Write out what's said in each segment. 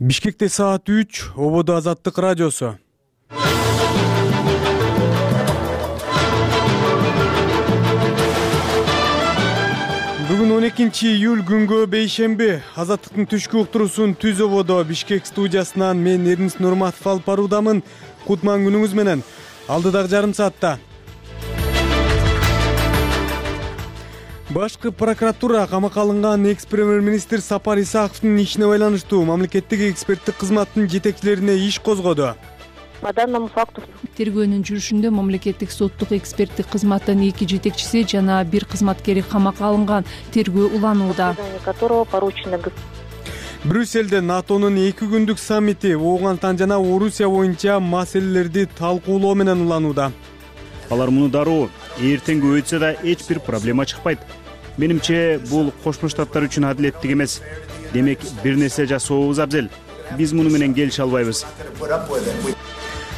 Бишкекте саат 3, Ободо Азаттык радиосу. Бүгүн 12-июль күнгө бейшемби. Азаттыктын түшкү уктуруусун Түз Ободо Бишкек студиясынан мен Эрнис Нурматов алып баруудамын. Кутман күнүңүз менен. Алдыдагы жарым саатта Башкы прокуратура камакка алынган экс-премьер-министр Сапар Исаковдун ишине байланыштуу мамлекеттик эксперттик кызматтын жетекчилерине иш козгоду. По данному факту тергөөнүн жүрүшүндө мамлекеттик соттук эксперттик кызматтын 2 жетекчиси жана 1 кызматкери камакка алынган. Тергөө уланууда. Брюссельде НАТОнун 2 күндүк саммити Ооганстан жана Орусия боюнча маселелерди талкуулоо менен уланууда. Алар муну дароо эртеңги өтсө да эч бир проблема чыкпайт. Менимче бул Кошмо Штаттар үчүн адилеттик эмес. Демек бир нерсе жасообуз абзел. Биз муну менен келише албайбыз.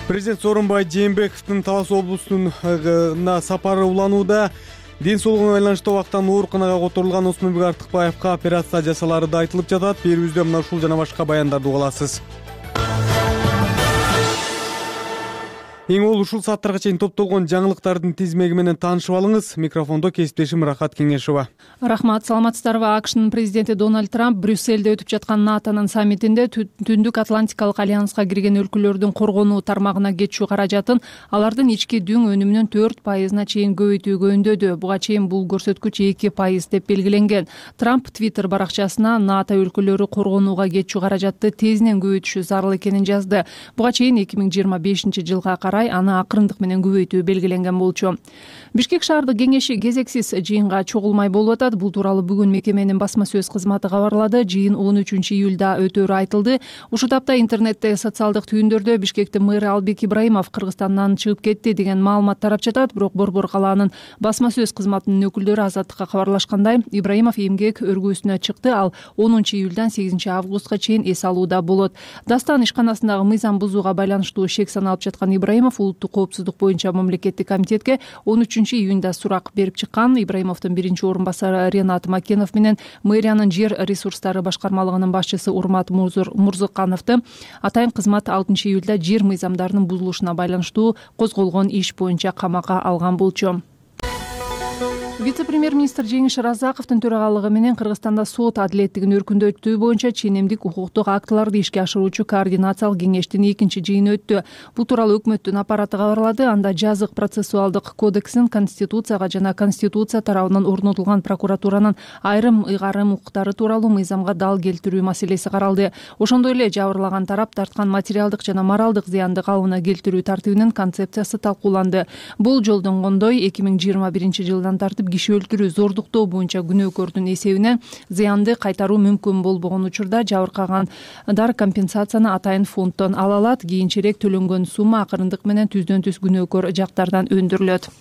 Президент Сооронбай Жээнбековдун Талас облусуна сапары уланууда. Ден соолугуна байланыштуу убактан ооруканага которулган Осмонбек Артыкбаевка операция жасалары да айтылып жатат. Берүүбүздө мына ушул жана башка баяндарды уга аласыз. Эң ол ушул сааттарга чейин топтолгон жаңылыктардын тизмеги менен таанышып алыңыз. Микрофондо кесиптешим Рахат Кеңешова. Рахмат, саламатсыздарбы? АКШнын президенти Дональд Трамп Брюссельде өтүп жаткан НАТОнун саммитинде Түндүк Атлантикалык альянска кирген өлкөлөрдүн коргонуу тармагына кетчү каражатын алардын ички дүң өнүмүнүн 4%-на чейин көбөйтүүгө үндөдү. Буга чейин бул көрсөткүч 2% деп белгиленген. Трамп Twitter баракчасына НАТО өлкөлөрү коргонууга кетчү каражатты тезинен көбөйтүшү зарыл экенин жазды. Буга чейин 2025-жылга аны акырындык менен көбөйтүү белгиленген болчу. Бишкек шаардык кеңеши кезексиз жыйынга чогулмай болуп атат. Бул тууралуу бүгүн мекеменин басма сөз кызматы кабарлады. Жыйын 13-июлда өтөөрү айтылды. Ушул тапта интернетте социалдык түйүндөрдө Бишкектин мэрі Албек Ибраимов Кыргызстандан чыгып кетти деген маалымат тарап жатат. Бирок Борбор калаанын басма сөз кызматынын өкүлдөрү Азаттыкка кабарлашкандай, Ибраимов эмгек өргөөсүнө чыкты. Ал 10-июлдан 8-августка чейин эс алууда болот. Дастан ишканасындагы мыйзам бузууга байланыштуу шек саналып жаткан Ибраимов улуттук коопсуздук боюнча мамлекеттик комитетке 13-июнда сурак берип чыккан. Ибраимовдун биринчи орун басары Ренат Макенов менен мэриянын жер ресурстары башкармалыгынын башчысы Урмат Мурзыкановду атайын кызмат 6-июлда жер мыйзамдарынын бузулушуна байланыштуу козголгон иш боюнча камакка алган болчу. Вице-премьер-министр Жеңиш Разаковдун төрагалыгы менен Кыргызстанда сот адилеттигин өркүндөтүү боюнча ченемдик укуктук актыларды ишке ашыруучу координациялык кеңештин 2-чи жыйыны өттү. Бул тууралуу өкмөттүн аппараты кабарлады. Анда жазык процессуалдык кодексин Конституцияга жана Конституция тарабынан орнотулган прокуратуранын айрым ыйгарым укуктары тууралуу мыйзамга дал келтирүү маселеси каралды. Ошондой эле жабырлаган тарап тарткан материалдык жана моралдык зыянды калыбына келтирүү тартибинин концепциясы талкууланды. Бул жолдонгондой 2021-жылдан тартып киши өлтүрүү, зордуктоо боюнча күнөөкөрдүн эсебинен зыянды кайтаруу мүмкүн болбогон учурда жабыркагандар компенсацияны атайын фонддон ала алат. Кийинчерээк төлөнгөн сумма акырындык менен түздөн-түз күнөөкөр жактардан өндүрүлөт.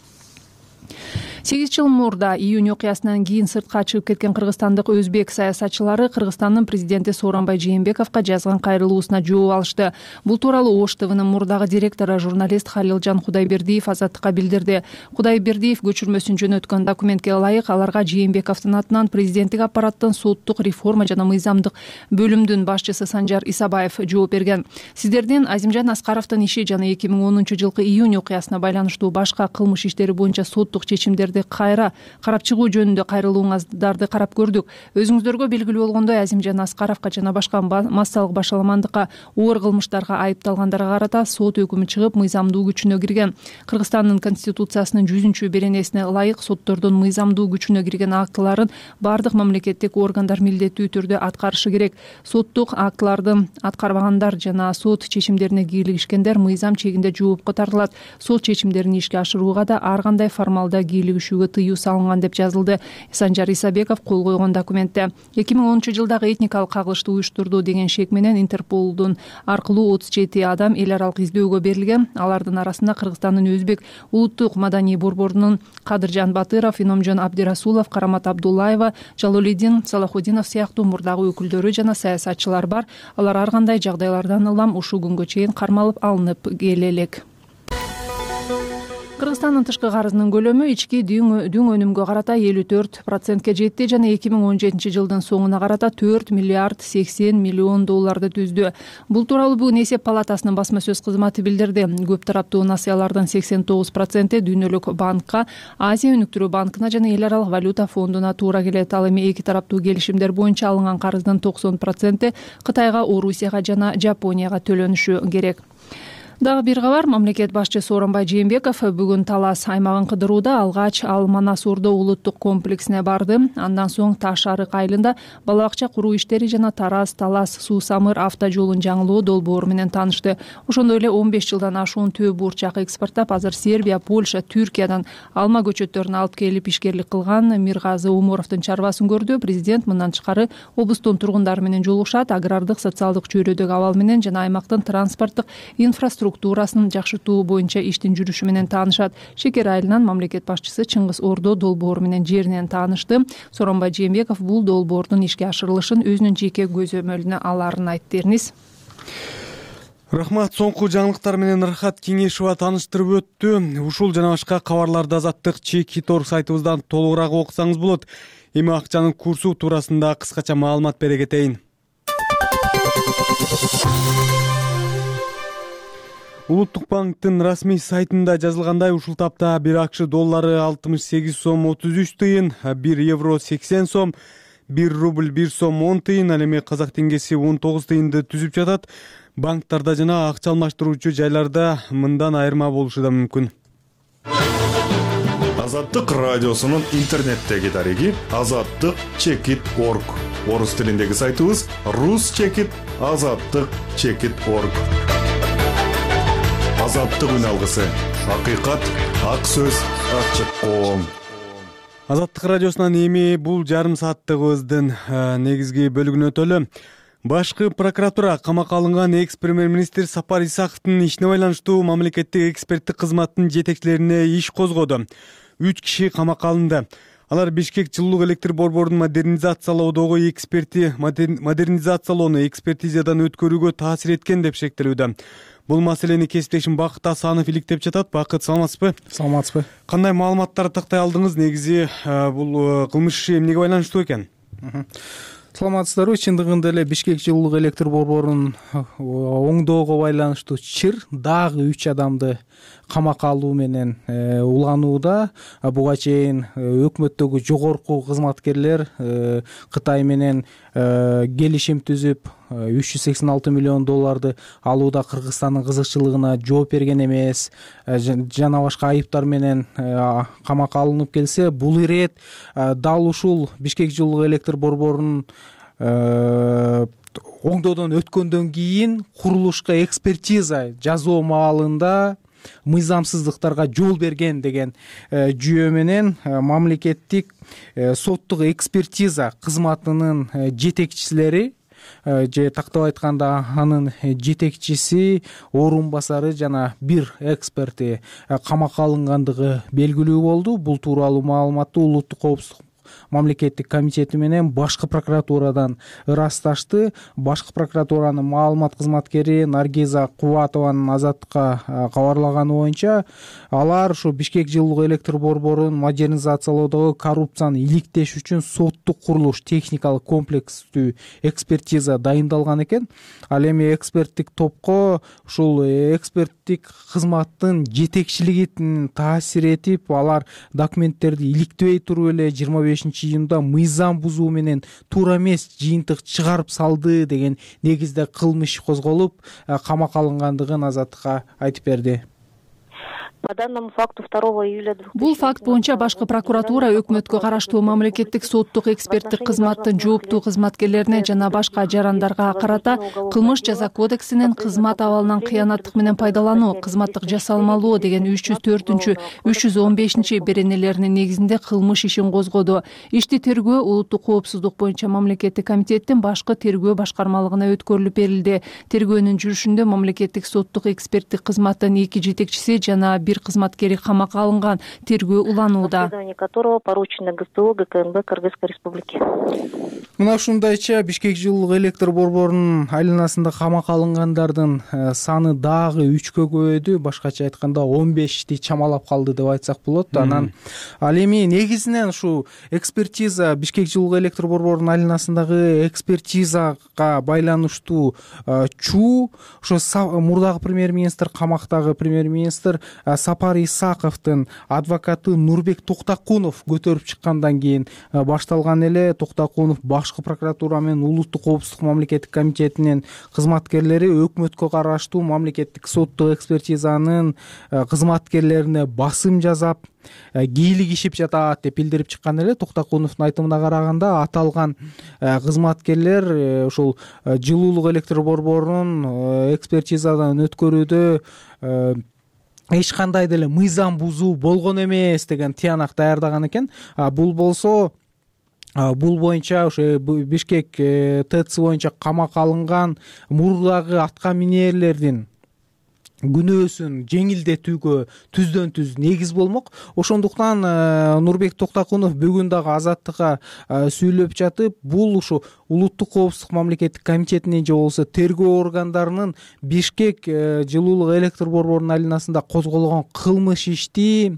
8 жыл мурда июнь окуясынан кийин сыртка чыгып кеткен кыргызстандык өзбек саясатчылары Кыргызстандын президенти Сооронбай Жээнбековго жазган кайрылуусуна жооп алышты. Бул тууралуу Ош ТВнын мурдагы директору журналист Халилжан Кудайбердиев Азаттыкка билдирди. Кудайбердиев көчүрмөсүн жөнөткөн документке ылайык аларга Жээнбековдун атынан президенттик аппараттын соттук реформа жана мыйзамдык бөлүмдүн башчысы Санжар Исабаев жооп берген. Сиздердин Азимжан Аскаровдун иши жана 2010-жылкы июнь окуясына байланыштуу башка кылмыш иштери боюнча соттук чечимдерди кайра карап чыгуу жөнүндө кайрылууңуздарды карап көрдүк. Өзүңүздөргө белгилүү болгондой, Азимжан Аскаровго жана башка массалык башаламандыкка, оор кылмыштарга айыпталгандарга карата сот өкүмү чыгып, мыйзамдуу күчүнө кирген. Кыргызстандын Конституциясынын 100-беренесине ылайык соттордун мыйзамдуу күчүнө кирген актыларын бардык мамлекеттик органдар милдеттүү түрдө аткарышы керек. Соттук актыларды аткарбагандар жана сот чечимдерине кийлигишкендер мыйзам чегинде жоопко тартылат. Сот чечимдерин ишке ашырууга да ар кандай формалда кийлигишүүгө тыюу салынган деп жазылды Санжар Исабеков кол койгон документте. 2010-жылдагы этникалык кагылышты уюштурду деген шек менен Интерполдун аркылуу 37 адам эл аралык издөөгө берилген. Алардын арасында Кыргызстандын Өзбек улуттук маданий борборунун Кадыржан Батыров, Иномжон Абдирасулов, Карамат Абдуллаева, Жалолидин Салахудинов сыяктуу мурдагы өкүлдөрү жана саясатчылар бар. Алар ар кандай жагдайлардан улам ушул күнгө чейин кармалып алынып келе элек. Кыргызстандын тышкы карызынын көлөмү ички дүң өнүмгө карата 54%ке жетти жана 2017-жылдын соңуна карата 4 миллиард 80 миллион долларды түздү. Бул тууралуу бүгүн Эсеп палатасынын басма сөз кызматы билдирди. Көп тараптуу насыялардын 89% дүйнөлүк банкка, Азия өнүктүрүү банкына жана эл аралык валюта фондуна туура келет. Ал эми эки тараптуу келишимдер боюнча алынган карыздын 90% Кытайга, Орусияга жана Жапонияга төлөнүшү керек. Дагы бир кабар. Мамлекет башчысы Сооронбай Жээнбеков бүгүн Талас аймагын кыдырууда. Алгач ал Манас Ордо улуттук комплексине барды. Андан соң Таш арык айылында бала бакча куруу иштери жана Тараз-Талас Суу-Самыр автожолун жаңылоо долбоору менен таанышты. Ошондой эле 15 жылдан ашуун төө бурчак экспорттап, азыр Сербия, Польша, Түркиядан алма көчөттөрүн алып келип ишкерлик кылган Миргазы Умуровдун чарбасын көрдү. Президент мындан тышкары облустун тургундары менен жолугушат, агрардык, социалдык чөйрөдөгү абал менен жана аймактын транспорттук инфраструктурасын жакшыртуу боюнча иштин жүрүшү менен таанышат. Шекер айылынан мамлекет башчысы Чыңгыз Ордо долбоору менен жеринен таанышты. Сооронбай Жээнбеков бул долбоордун ишке ашырылышын өзүнүн жеке көзөмөлүнө аларын айтты. Эрниз. Рахмат. Соңку жаңылыктар менен Рахат Кеңешова тааныштырып өттү. Ушул жана башка кабарларды Азаттык Чек.org сайтыбыздан толугураак окусаңыз болот. Эми акчанын курсу туурасында кыскача маалымат бере кетейин. Улуттук банктын расмий сайтында жазылгандай, ушул тапта 1 АКШ доллары 68 сом 33 тыйын, 1 евро 80 сом, 1 рубль 1 сом 10 тыйын, ал эми казак теңгеси 19 тыйынды түзүп жатат. Банктарда жана акча алмаштыруучу жайларда мындан айырма болушу да мүмкүн. Азаттык радиосунун интернеттеги дареги Азаттык Чек.org. Орус тилиндеги сайтыбыз ruschekit.azаттык.org. Азаттык үн алгысы. Акыйкат, ак сөз, ачык коом. Азаттык радиосунан эми бул жарым сааттыгыбыздын негизги бөлүгүнө өтөлү. Башкы прокуратура камакка алынган экс-премьер-министр Сапар Исаковдун ишине байланыштуу мамлекеттик эксперттик кызматтын жетекчилерине иш козгоду. 3 киши камакка алынды. Алар Бишкек жылуулук электр борборунун модернизациялоодогу модернизациялоону экспертизадан өткөрүүгө таасир эткен деп шектелүүдө. Бул маселени кесиптешим Бакыт Асанов иликтеп жатат. Бакыт, саламатсызбы? Саламатсызбы. Кандай маалыматтарды тактай алдыңыз? Негизи бул кылмыш иши эмнеге байланыштуу экен? Саламатсыздарбы? Чындыгында эле Бишкек жылуулук электр борборунун оңдоого байланыштуу чыр дагы 3 адамды камакка алуу менен уланууда. Буга чейин өкмөттөгү жогорку кызматкерлер Кытай менен келишим түзүп 386 миллион долларды алууда Кыргызстандын кызыкчылыгына жооп берген эмес, жана башка айыптар менен камакка алынып келсе, бул ирет дал ушул Бишкек жылуулук электр борборунун оңдоодон өткөндөн кийин курулушка экспертиза жасоо маалында мыйзамсыздыктарга жол берген деген жүйө менен мамлекеттик соттук экспертиза кызматынын жетекчилери же тактап айтканда анын жетекчиси, орун басары жана бир эксперти камакка алынгандыгы белгилүү болду. Бул тууралуу маалыматты Улуттук коопсуздук мамлекеттик комитети менен башкы прокуратурадан ырасташты. Башкы прокуратуранын маалымат кызматкери Наргиза Кубатованын Азаттыкка кабарлаганы боюнча, алар ушу Бишкек жылуулук электр борборунун модернизациялоодогу коррупцияны иликтеш үчүн соттук курулуш техникалык комплекстүү экспертиза дайындалган экен. Ал эми эксперттик топко ушул эксперттик кызматтын жетекчилигин таасир этип, алар документтерди иликтебей туруп эле 25-июнда мыйзам бузуу менен туура эмес жыйынтык чыгарып салды деген негизде кылмыш козголуп, камакка алынгандыгын Азаттыкка айтып берди. По данному факту 2 июля 2000 Бул факт боюнча башкы прокуратура өкмөткө караштуу мамлекеттик соттук эксперттик кызматтын жооптуу кызматкерлерине жана башка жарандарга карата кылмыш жаза кодексинин кызмат абалынан кыянаттык менен пайдалануу, кызматтык жасалмалоо деген 304, 315 беренелеринин негизинде кылмыш ишин козгоду. Ишти тергөө Улуттук коопсуздук боюнча мамлекеттик комитеттин башкы тергөө башкармалыгына өткөрүлүп берилди. Тергөөнүн жүрүшүндө мамлекеттик соттук эксперттик кызматтын 2 жетекчиси жана бир кызматкери камакка алынган. Тергөө уланууда. Расследование которого поручено ГСТУ ГКНБ Кыргызской Республики. Мына ушундайча Бишкек жылуулук электр борборунун айланасында камакка алынгандардын саны дагы 3кө көбөйдү. Башкача айтканда 15ти чамалап калды деп айтсак болот. Анан ал эми негизинен ушу экспертиза Бишкек жылуулук электр борборунун айланасындагы экспертизага байланыштуу чуу ошо мурдагы премьер-министр, камактагы премьер-министр Сапар Исаковдун адвокаты Нурбек Токтокунов көтөрүп чыккандан кийин башталган эле. Токтокунов башкы прокуратура менен улуттук коопсуздук мамлекеттик комитетинин кызматкерлери өкмөткө караштуу мамлекеттик соттук экспертизанын кызматкерлерине басым жасап кийлик ишип жатат деп билдирип чыккан эле. Токтокуновдун айтымына караганда аталган кызматкерлер ушул жылуулук электр борборунун экспертизадан өткөрүүдө эч кандай деле мыйзам бузуу болгон эмес деген тыянак даярдаган экен. Бул болсо бул боюнча ошо Бишкек ТЭЦ боюнча камакка алынган мурдагы атка минерлердин күнөөсүн жеңилдетүүгө түздөн түз негиз болмок. Ошондуктан Нурбек Токтокунов бүгүн дагы Азаттыкка сүйлөп жатып, бул ушу улуттук коопсуздук мамлекеттик комитетинин же болбосо тергөө органдарынын Бишкек жылуулук электр борборунун айланасында козголгон кылмыш ишти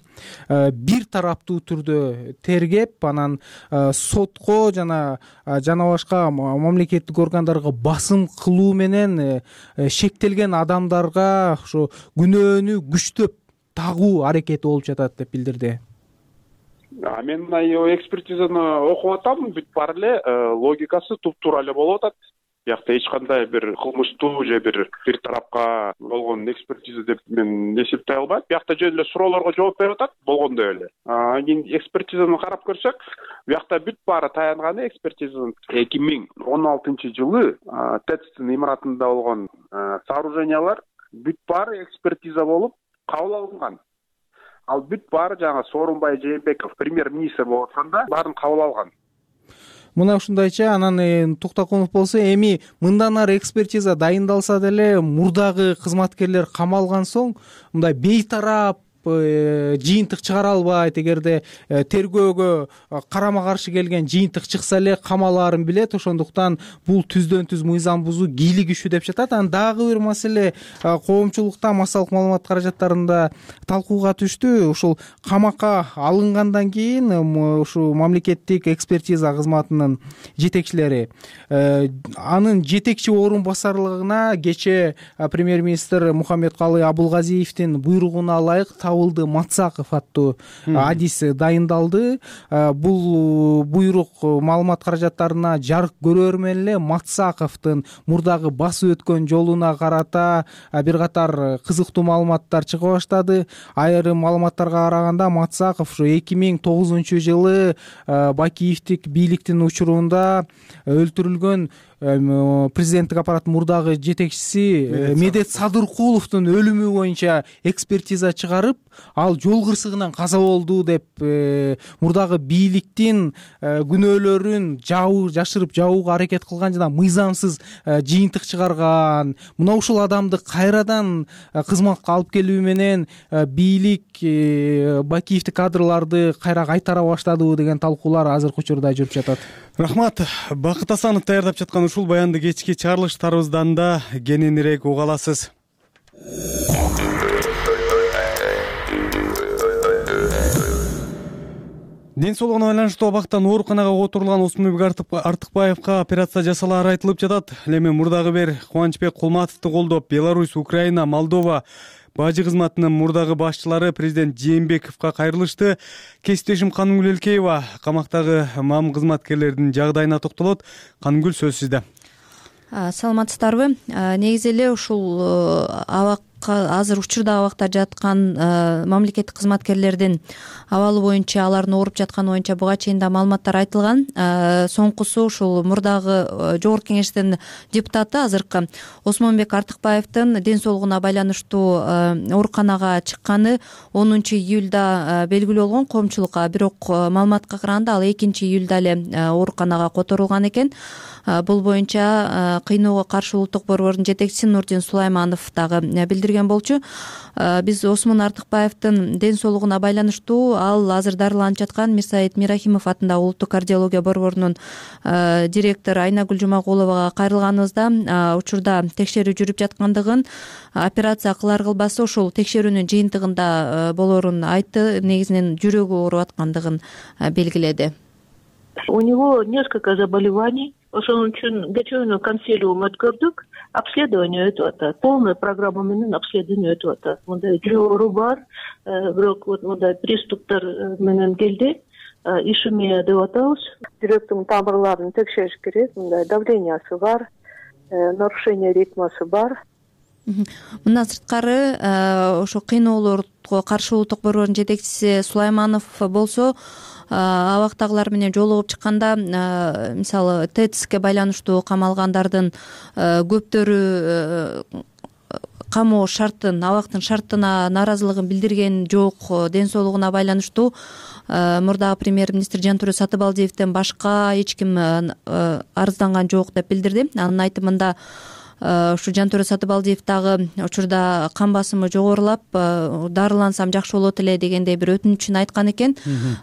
бир тараптуу түрдө тергеп, анан сотко жана башка мамлекеттик органдарга басым кылуу менен шектелген адамдарга күнөөнү күчтөп тагуу аракети болуп жатат деп билдирди. Мен мына экспертизаны окуп атам, бүт бар эле логикасы туп-туура эле болуп атат. Биякта эч кандай бир кылмыштуу же бир тарапка болгон экспертиза деп мен эсептей албайм. Биякта жөн эле суроолорго жооп берип атат болгондой эле. Кийин экспертизаны карап көрсөк, биякта бүт баары таянганы экспертизанын 2016 жылы ТЭЦтин имаратында болгон сооружениялар бүт баары экспертиза болуп кабыл алынган. Ал бүт баары жаңа Сооронбай Жээнбеков премьер-министр болуп атканда баарын кабыл алган. Мына ушундайча. Анан Токтокунов болсо эми мындан ары экспертиза дайындалса деле мурдагы кызматкерлер камалган соң мындай бейтарап жыйынтык чыгара албайт. Эгерде тергөөгө карама каршы келген жыйынтык чыкса эле камалаарын билет. Ошондуктан бул түздөн түз мыйзам бузуу кийлик ишүү деп жатат. Анан дагы бир маселе коомчулукта массалык маалымат каражаттарында талкууга түштү. Ушул камакка алынгандан кийин ушу мамлекеттик экспертиза кызматынын жетекчилери анын жетекчи орун басарлыгына кечээ премьер-министр Мухаммедкалый Абулгазиевдин буйругуна ылайык Матсаков аттуу адис дайындалды. Бул буйрук маалымат каражаттарына жарык көрөр менен эле Матсаковдун мурдагы басып өткөн жолуна карата бир катар кызыктуу маалыматтар чыга баштады. Айрым маалыматтарга караганда Матсаков ушу 2009 жылы Бакиевдик бийликтин учурунда өлтүрүлгөн президенттик аппараттын мурдагы жетекчиси Медет Садыркуловдун өлүмү боюнча экспертиза чыгарып, ал жол кырсыгынан каза болду деп мурдагы бийликтин күнөөлөрүн жашырып жабууга аракет кылган жана мыйзамсыз жыйынтык чыгарган. Мына ушул адамды кайрадан кызматка алып келүү менен бийлик Бакиевдик кадрларды кайра кайтара баштадыбы деген талкуулар азыркы учурда жүрүп жатат. Рахмат. Бакыт Асанов даярдап жаткан ушул баянды кечки чыгарылыштарыбыздан да кененирээк уга аласыз. Ден соолугуна байланыштуу абактан ооруканага отурулган Осмонбек Артыкбаевка операция жасалаары айтылып жатат. Эми мурдагы бир Кубанычбек Кулматовду колдоп, Беларусь, Украина, Молдова бажы кызматынын мурдагы башчылары президент Жээнбековго кайрылышты. Кесиптешим Канымгүл Элкеева камактагы мам кызматкерлердин жагдайына токтолот. Канымгүл, сөз сизде. Саламатсыздарбы? Негизи эле ушул азыр учурда абакта жаткан мамлекеттик кызматкерлердин абалы боюнча, алардын ооруп жатканы боюнча буга чейин да маалыматтар айтылган. Соңкусу ушул мурдагы жогорку кеңештин депутаты азыркы Осмонбек Артыкбаевдин ден соолугуна байланыштуу ооруканага чыкканы 10 июлда белгилүү болгон коомчулукка. Бирок маалыматка караганда ал 2 июлда эле ооруканага которулган экен. Бул боюнча кыйноого каршы улуттук борбордун жетекчиси Нурдин Сулайманов дагы билдирген. билдирген болчу. Биз Осмон Артыкбаевдин ден соолугуна байланыштуу ал азыр дарыланып жаткан Мирсаид Мирахимов атындагы улуттук кардиология борборунун директору Айнагүл Жумагуловага кайрылганыбызда учурда текшерүү жүрүп жаткандыгын, операция кылар кылбасы ушул текшерүүнүн жыйынтыгында болорун айтты. Негизинен жүрөгү ооруп аткандыгын белгиледи. У него несколько заболеваний. Ошон үчүн кечээ консилиум өткөрдүк. Обследование өтүп атат. Полная программа менен обследование өтүп атат. Мындай жүрөк оору бар, бирок вот мындай приступтар менен келди. Ишемия деп атабыз. Жүрөктүн тамырларын текшериш керек. Мындай давлениясы бар, нарушение ритмасы бар. Мындан сырткары ошо кыйноолорго каршы улуттук борбордун жетекчиси Сулайманов болсо, абактагылар менен жолугуп чыкканда, мисалы ТЭЦке байланыштуу камалгандардын көптөрү камоо шартын, абактын шартына нааразылыгын билдирген жок. Ден соолугуна байланыштуу мурдагы премьер-министр Жантөре Сатыбалдиевден башка эч ким арызданган жок деп билдирди. Анын айтымында ушу Жантөре Сатыбалдиев дагы учурда кан басымы жогорулап, дарылансам жакшы болот эле дегендей бир өтүнүчүн айткан экен.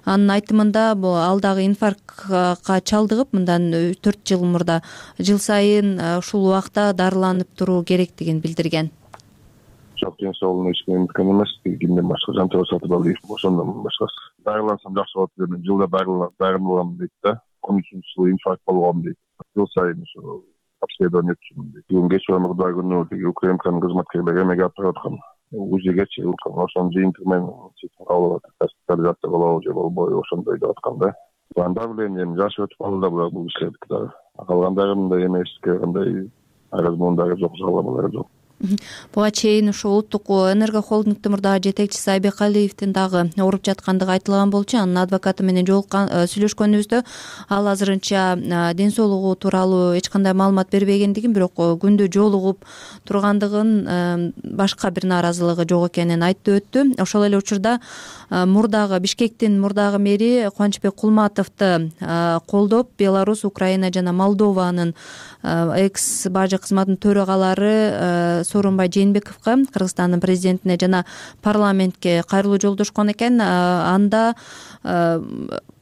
Анын айтымында ал дагы инфарктка чалдыгып, мындан 4 жыл мурда жыл сайын ушул убакта дарыланып туруу керектигин билдирген. Ден соолугуна эч ким эметкен эмес. Кимден башка Жантөре Сатыбалдиев ошондон башкасы. Дарылансам жакшы болот деп жылда дарыланам дейт да. 13 жылы инфаркт болгом дейт. Жыл сайын ошо обследование өткөрүм дейт. Бүгүн кеч мурда күнү УКМКнын кызматкерлери эмеге алып бараткан. УЗИге чыгып, ошонун жыйынтыгы менен алып атат. Госпитализация болобу же болбойбу ошондой деп аткан да. Давлением жашы өтүп калды да бул кишилердики дагы. Калгандары мындай эмес, кандай аразмондары жок, жалабалары жок. Буга чейин ушу улуттук энерго холдингдин мурдагы жетекчиси Айбек Алиевдин дагы ооруп жаткандыгы айтылган болчу. Анын адвокаты менен сүйлөшкөнүбүздө ал азырынча ден соолугу тууралуу эч кандай маалымат бербегендигин, бирок күндү жолугуп тургандыгын, башка бир нааразылыгы жок экенин айтып өттү. Ошол эле учурда Бишкектин мурдагы мэри Кубанычбек Кулматовду колдоп, Беларусь, Украина жана Молдованын экс бажы кызматынын төрагалары Сооронбай Жээнбековго, Кыргызстандын президентине жана парламентке кайрылуу жолдошкон экен. Анда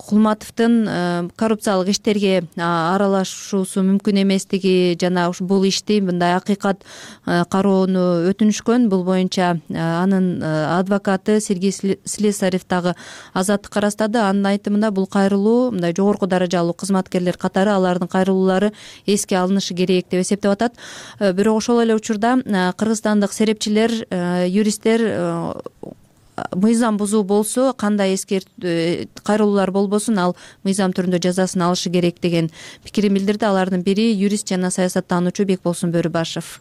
Кулматовдун коррупциялык иштерге аралашуусу мүмкүн эместиги жана бул ишти мындай акыйкат кароону өтүнүшкөн. Бул боюнча анын адвокаты Сергей Слесарев дагы Азаттыкка арастады. Анын айтымында бул кайрылуу мындай жогорку даражалуу кызматкерлер катары алардын кайрылуулары эске алынышы керек деп эсептеп атат. Бирок ошол эле учурда кыргызстандык серепчилер, юристтер мыйзам бузуу болсо, кандай кайрылуулар болбосун, ал мыйзам түрүндө жазасын алышы керек деген пикирин билдирди. Алардын бири юрист жана саясаттануучу Бекболсун Бөрүбашев.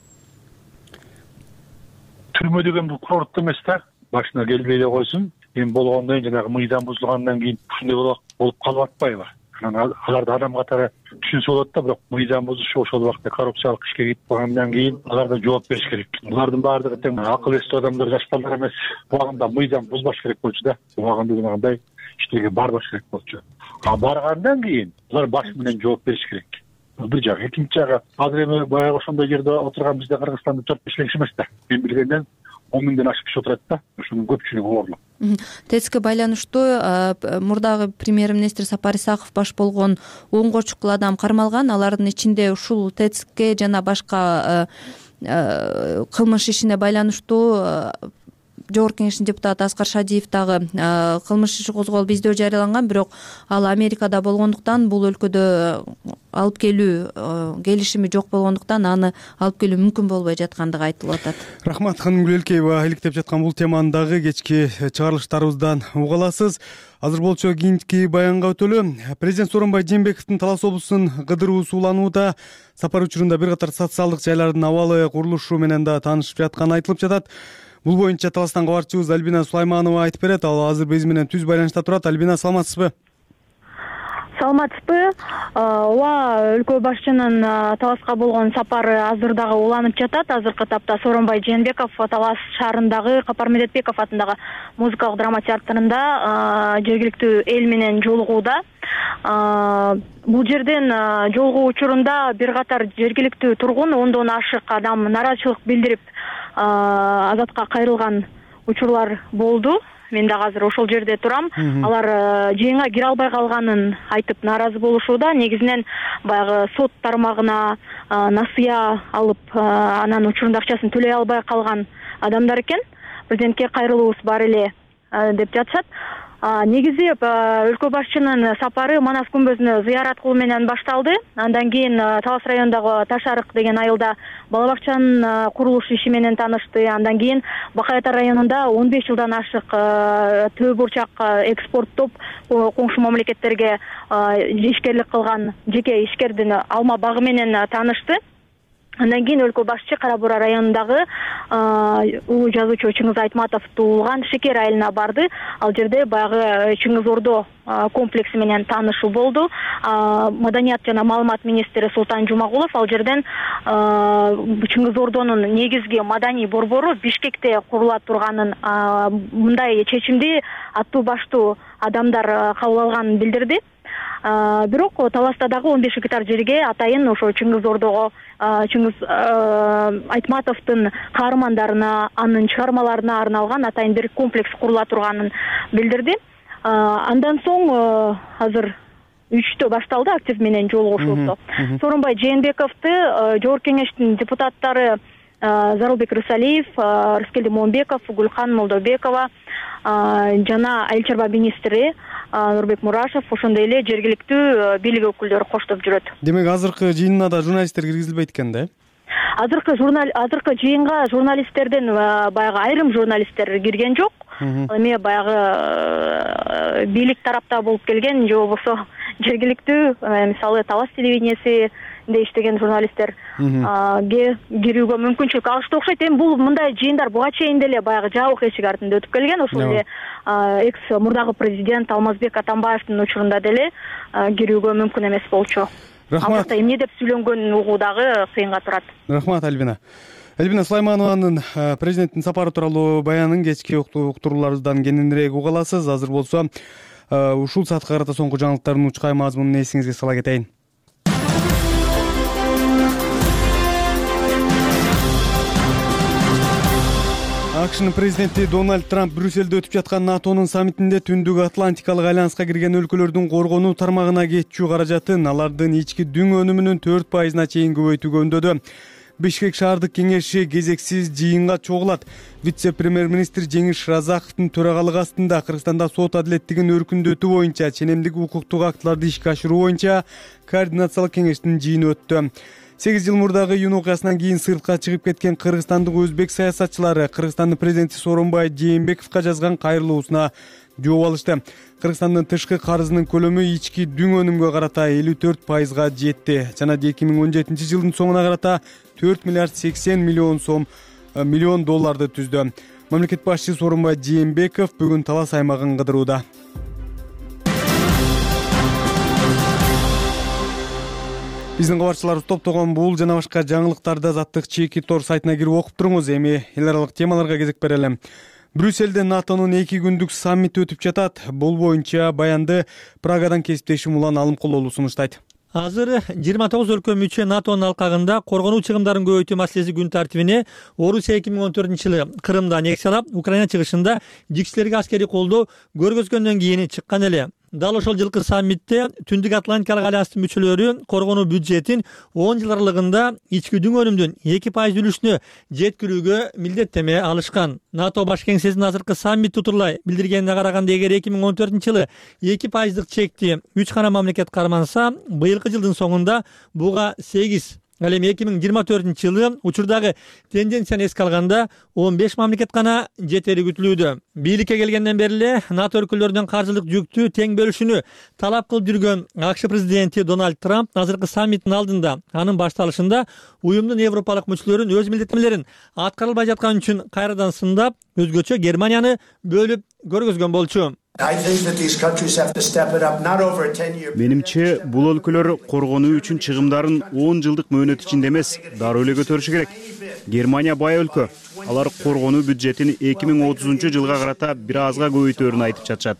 Түрмө деген бул курорт эмес да, башына келбей эле койсун. Эми болгондон кийин жанагы мыйзам бузулгандан кийин ушундай болуп калып атпайбы? Аларды адам катары түшүнсө болот да, бирок мыйзам бузушу ошол убакта коррупциялык ишке кетип калгандан кийин аларда жооп бериш керек. Булардын баардыгы тең акыл эстүү адамдар, жаш балдар эмес. Убагында мыйзам бузбаш керек болчу да. Убагында жанагындай иштерге барбаш керек болчу. Баргандан кийин алар баш менен жооп бериш керек. Бир жак. Экинчи жагы, азыр эми баягы ошондой жерде отурган бизде Кыргызстанда 4-5 киши эмес да. Мен билгенден 10 миңден ашык киши отурат да. Ошонун көпчүлүгү оорлук. ТЭЦке байланыштуу мурдагы премьер-министр Сапар Исаков баш болгон 10 чукул адам кармалган. Алардын ичинде ушул ТЭЦке жана башка кылмыш ишине байланыштуу Жогорку Кеңештин депутаты Аскар Шадиев дагы кылмыш иши козголуп издөө жарыяланган, бирок ал Америкада болгондуктан, бул өлкөдө алып келүү келишими жок болгондуктан аны алып келүү мүмкүн болбой жаткандыгы айтылып атат. Рахмат Ханымгүл Элкеева, иликтеп жаткан бул теманы дагы кечки чыгарылыштарыбыздан уга аласыз. Азыр болчу кийинки баянга өтөлү. Президент Сооронбай Жээнбековдун Талас облусунун кыдыруусу уланууда. Сапар учурунда бир катар социалдык жайлардын абалы, курулушу менен да таанышып жатканы айтылып жатат. Бул боюнча Таластан кабарчыбыз Альбина Сулайманова айтып берет. Ал азыр биз менен түз байланышта турат. Альбина, саламатсызбы? саламатсызбы. Ооба, өлкө башчынын Таласка болгон сапары азыр дагы уланып жатат. Азыркы тапта Сооронбай Жээнбеков Талас шаарындагы Капар Медетбеков атындагы музыкалык драма театрында жергиликтүү эл менен жолугууда. Бул жерден жолугуу учурунда бир катар жергиликтүү тургун, 10дон ашык адам нааразычылык билдирип азатка кайрылган учурлар болду. Мен дагы азыр ошол жерде турам. Алар жыйынга кире албай калганын айтып нааразы болушууда. Негизинен баягы сот тармагына насыя алып, анан учурунда акчасын төлөй албай калган адамдар экен. Президентке кайрылуубуз бар эле деп жатышат. Негизи өлкө башчынын сапары Манас күмбөзүнө зыярат кылуу менен башталды. Андан кийин Талас районундагы Таш арык деген айылда бала бакчанын курулуш иши менен таанышты. Андан кийин Бакай Ата районунда 15 жылдан ашык төө бурчак экспорттоп коңшу мамлекеттерге ишкерлик кылган жеке ишкердин алма багы менен таанышты. Андан кийин өлкө башчы Кара Бура районундагы улуу жазуучу Чыңгыз Айтматов туулган Шекер айылына барды. Ал жерде баягы Чыңгыз Ордо комплекси менен таанышуу болду. Маданият жана маалымат министри Султан Жумагулов ал жерден Чыңгыз Ордонун негизги маданий борбору Бишкекте курула турганын, мындай чечимди аттуу баштуу адамдар кабыл алганын билдирди. Бирок Таласта дагы 15 гектар жерге атайын ошо Чыңгыз Ордого, Чыңгыз Айтматовдун каармандарына, анын чыгармаларына арналган атайын бир комплекс курула турганын билдирди. Андан соң азыр 3-тө башталды актив менен жолугушуу. Сооронбай Жээнбековду Жогорку кеңештин депутаттары Зарылбек Рысалиев, Рыскелди Момбеков, Гүлкан Молдобекова жана айыл чарба министри Нурбек Мурашев, ошондой эле жергиликтүү бийлик өкүлдөрү коштоп жүрөт. Демек азыркы жыйынына да журналисттер киргизилбейт экен да? Азыркы жыйынга журналисттерден баягы айрым журналисттер кирген жок. Эми баягы бийлик тарапта болуп келген же болбосо жергиликтүү, мисалы Талас телевидениясинде иштеген журналисттер кирүүгө мүмкүнчүлүк алышты окшойт. Эми бул мындай жыйындар буга чейин деле баягы жабык эшик артында өтүп келген. Ошол эле экс мурдагы президент Алмазбек Атамбаевдин учурунда деле кирүүгө мүмкүн эмес болчу. Рахмат. Эмне деп сүйлөнгөнүн угуу дагы кыйынга турат. Рахмат Альбина. Альбина Сулайманованын президенттин сапары тууралуу баянын кечки уктурууларыбыздан кененирээк уга аласыз. Азыр болсо ушул саатка карата соңку жаңылыктардын учкай мазмунун эсиңизге сала кетейин. АКШнын президенти Дональд Трамп Брюссельде өтүп жаткан НАТОнун саммитинде Түндүк Атлантикалык альянска кирген өлкөлөрдүн коргонуу тармагына кетчү каражатын алардын ички дүң өнүмүнүн 4%-на чейин көбөйтүүгө үндөдү. Бишкек шаардык кеңеши кезексиз жыйынга чогулат. Вице-премьер-министр Жеңиш Разаковдун төрагалыгы астында Кыргызстанда сот адилеттигин өркүндөтүү боюнча ченемдик укуктук актыларды ишке ашыруу боюнча координациялык кеңештин жыйыны өттү. 8 жыл мурдагы июнь окуясынан кийин сыртка чыгып кеткен кыргызстандык өзбек саясатчылары Кыргызстандын президенти Сооронбай Жээнбековго жазган кайрылуусуна жооп алышты. Кыргызстандын тышкы карызынын көлөмү ички дүң өнүмгө карата 54%га жетти жана 2017 жылдын соңуна карата 4 миллиард 80 миллион долларды түздү. Мамлекет башчысы Сооронбай Жээнбеков бүгүн Талас аймагын кыдырууда. Биздин кабарчыларыбыз топтогон бул жана башка жаңылыктарды азаттык чеки тор сайтына кирип окуп туруңуз. Эми эл аралык темаларга кезек берели. Брюссельде НАТОнун 2 күндүк саммити өтүп жатат. Бул боюнча баянды Прагадан кесиптешим Улан Алымкулоğlu сунуштайт. Азыр 29 өлкө мүчө НАТОнун алкагында коргонуу чыгымдарын көбөйтүү маселеси күн тартибине Орусия 2014-жылы Крымда аннексиялап, Украина чыгышында жикчилерге аскерий колдоо көргөзгөндөн кийин чыккан эле. Дал ошол жылкы саммитте Түндүк Атлантикалык альянстын мүчөлөрү коргонуу бюджетин 10 жыл аралыгында ички дүң өнүмдүн 2% үлүшүнө жеткирүүгө милдеттеме алышкан. НАТО баш кеңсесинин азыркы саммит тутурлай билдиргенине караганда, эгер 2014-жылы 2%дык чекти 3 гана мамлекет карманса, быйылкы жылдын соңунда буга 8. Ал эми 2024-жылы учурдагы тенденцияны эске алганда 15 мамлекет гана жетери күтүлүүдө. Бийликке келгенден бери эле НАТО өлкөлөрүнүн каржылык жүктү тең бөлүшүнү талап кылып жүргөн АКШ президенти Дональд Трамп азыркы саммиттин алдында, анын башталышында уюмдун европалык мүчөлөрүн өз милдеттемелерин аткарылбай жатканы үчүн кайрадан сындап, өзгөчө Германияны бөлүп көргөзгөн болчу. Менимче бул өлкөлөр коргонуу үчүн чыгымдарын 10 жылдык мөөнөт ичинде эмес, дароо эле көтөрүшү керек. Германия бай өлкө. Алар коргонуу бюджетин 2030 жылга карата бир азга көбөйтөөрүн айтып жатышат.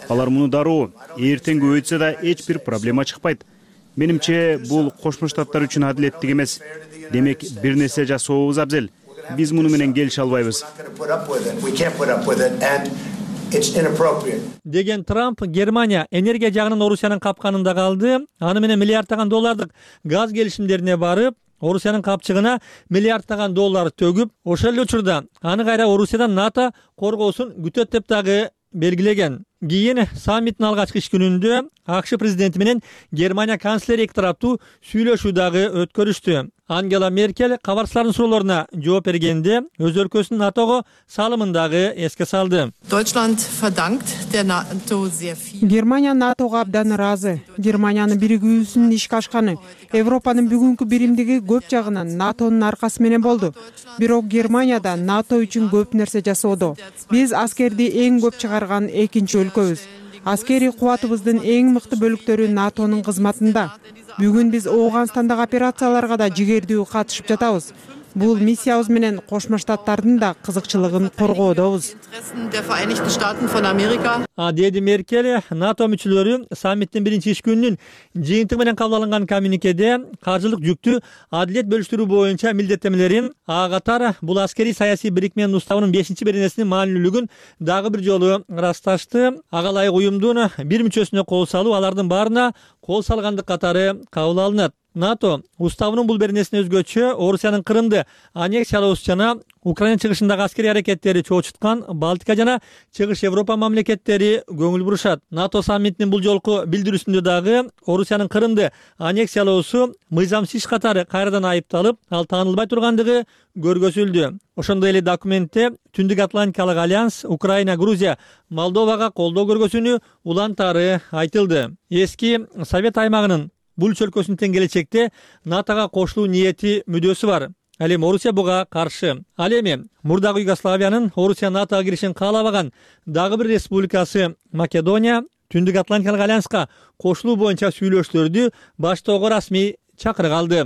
Алар муну дароо эртең көбөйтсө да эч бир проблема чыкпайт. Менимче бул Кошмо Штаттар үчүн адилеттик эмес. Демек бир нерсе жасообуз абзел. Биз муну менен келише албайбыз. Деген Трамп Германия энергия жагынан Орусиянын капканында калды. Аны менен миллиардтаган доллардык газ келишимдерине барып, Орусиянын капчыгына миллиардтаган доллар төгүп, ошол эле учурда аны кайра Орусиядан НАТО коргоосун күтөт деп дагы белгилеген. Кийин саммиттин алгачкы иш күнүндө АКШ президенти менен Германия канцлери эки тараптуу сүйлөшүү дагы өткөрүштү. Ангела Меркель кабарчылардын суроолоруна жооп бергенде өз өлкөсүнүн НАТОго салымын дагы эске салды. Германия НАТОго абдан ыраазы. Германиянын биригүүсүнүн ишке ашканы Европанын бүгүнкү биримдиги көп жагынан НАТОнун аркасы менен болду. Бирок Германияда НАТО үчүн көп нерсе жасоодо. Биз аскерди эң көп чыгарган экинчи өлкөбүз. Аскерий кубатыбыздын эң мыкты бөлүктөрү НАТОнун кызматында. Бүгүн биз Ооганстандагы операцияларга да жигердүү катышып жатабыз. Бул миссиябыз менен Кошмо Штаттардын да кызыкчылыгын коргоодобуз. Деди Меркель, НАТО мүчөлөрү саммиттин биринчи иш күнүнүн жыйынтыгы менен кабыл алынган коммюникеде каржылык жүктү адилет бөлүштүрүү боюнча милдеттемелерин, катар бул аскерий саясий бирикменин уставынын 5-беренесинин маанилүүлүгүн дагы бир жолу ырасташты. Ага ылайык уюмдун бир мүчөсүнө кол салуу алардын баарына кол салгандык катары кабыл алынат. НАТО уставынын бул беренесине өзгөчө Орусиянын Крымды аннексиялоосу жана Украина чыгышындагы аскерий аракеттери чоочуткан Балтика жана Чыгыш Европа мамлекеттери көңүл бурушат. НАТО саммитинин бул жолку билдирүүсүндө дагы Орусиянын Крымды аннексиялоосу мыйзамсыз иш катары кайрадан айыпталып, ал таанылбай тургандыгы көргөзүлдү. Ошондой эле документте Түндүк Атлантикалык альянс Украина, Грузия, Молдовага колдоо көргөзүүнү улантары айтылды. Эски Совет аймагынын бул өлкөсүнүн тең келечекте НАТОга кошулуу ниети, мүдөөсү бар. Ал эми Орусия буга каршы. Ал эми мурдагы Югославиянын Орусия НАТОга киришин каалабаган дагы бир республикасы Македония Түндүк Атлантикалык альянска кошулуу боюнча сүйлөшүүлөрдү баштоого расмий чакырык алды.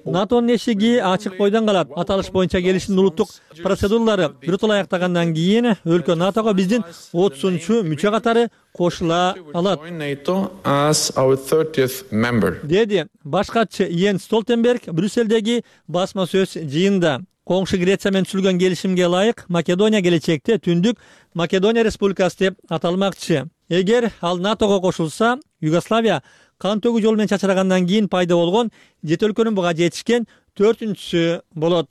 НАТОнун эшиги ачык бойдон калат. Аталыш боюнча келишимдин улуттук процедуралары биротоло аяктагандан кийин өлкө НАТОго биздин 30-мүчө катары кошула алат. Деди баш катчы Йенс Столтенберг Брюсселдеги басма сөз жыйында. Коңшу Греция менен түзүлгөн келишимге ылайык Македония келечекте Түндүк Македония республикасы деп аталмакчы. Эгер ал НАТОго кошулса, Югославия кан төгүү жолу менен чачырагандан кийин пайда болгон 7 өлкөнүн буга жетишкен 4-сү болот.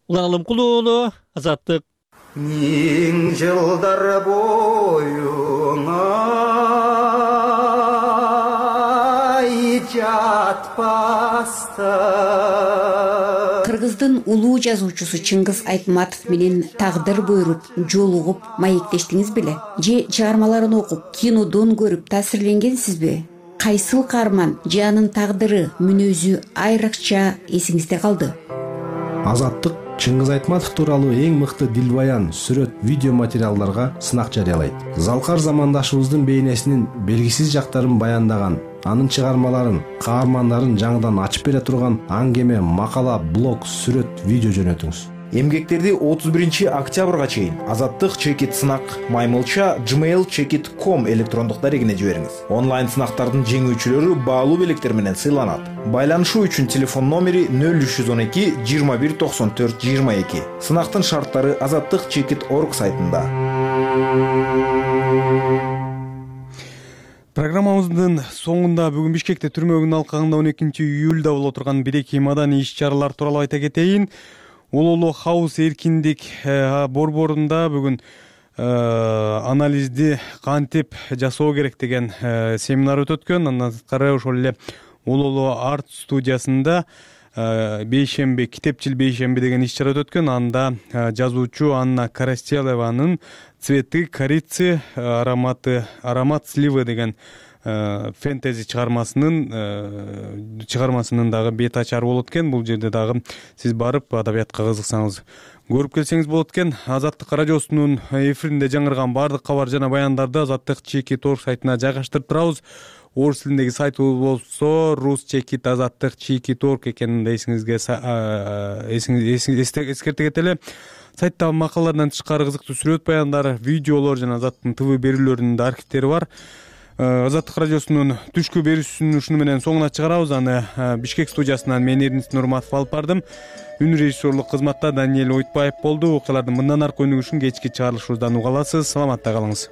Улан Алымкулуу, Азаттык. Миң жылдар боюңа жатпаста. Кыргыздын улуу жазуучусу Чыңгыз Айтматов менен тагдыр буйруп, жолугуп, маектештиңиз беле? Же чыгармаларын окуп, кинодон көрүп таасирленгенсизби? Кайсыл каарман же анын тагдыры, мүнөзү айрыкча эсиңизде калды? Азаттык Чыңгыз Айтматов тууралуу эң мыкты дилбаян, сүрөт, видео материалдарга сынак жарыялайт. Залкар замандашыбыздын бейнесинин белгисиз жактарын баяндаган, анын чыгармаларын, каармандарын жаңыдан ачып бере турган аңгеме, макала, блог, сүрөт, видео жөнөтүңүз. Эмгектерди 31-октябрга чейин Азаттык чекит сынак маймылча gmail.com электрондук дарегине жибериңиз. Онлайн сынактардын жеңүүчүлөрү баалуу белектер менен сыйланат. Байланышуу үчүн телефон номери 0312 21 94 22. Сынактын шарттары azattikchekit.org сайтында. Программабыздын соңунда бүгүн Бишкекте түрмөгүнүн алкагында 12-июлда боло турган бирики маданий иш-чаралар тууралуу айта кетейин. Улуулуу хаус эркиндик борборунда бүгүн анализди кантип жасоо керек деген семинар өтөткөн. Андан сырткары ошол эле улуулуу арт студиясында бейшемби, китепчил бейшемби деген иш-чара өтөткөн. Анда жазуучу Анна Карастелеванын «Цветы корицы, аромат сливы» деген фэнтези чыгармасынын дагы бет ачары болот экен. Бул жерде дагы сиз барып адабиятка кызыксаңыз көрүп келсеңиз болот экен. Азаттык радиосунун эфиринде жаңырган баардык кабар жана баяндарды Азаттык Чекит.org сайтына жайгаштырып турабыз. Орус тилиндеги сайтыбыз болсо Rusчекит Азаттык Чекит.org экенин да эскерте кетели. Сайтта макалалардан тышкары кызыктуу сүрөт баяндар, видеолор жана Азаттыктын ТВ берүүлөрүнүн да архивдери бар. Азаттык радиосунун түшкү берүүсүн ушуну менен соңуна чыгарабыз. Аны Бишкек студиясынан мен Эрдинис Нурматов алып бардым. Үн режиссерлук кызматта Даниэль Ойтбаев болду. Окуялардын мындан аркы өнүгүшүн кечки чыгарылышыбыздан уга аласыз. Саламатта калыңыз.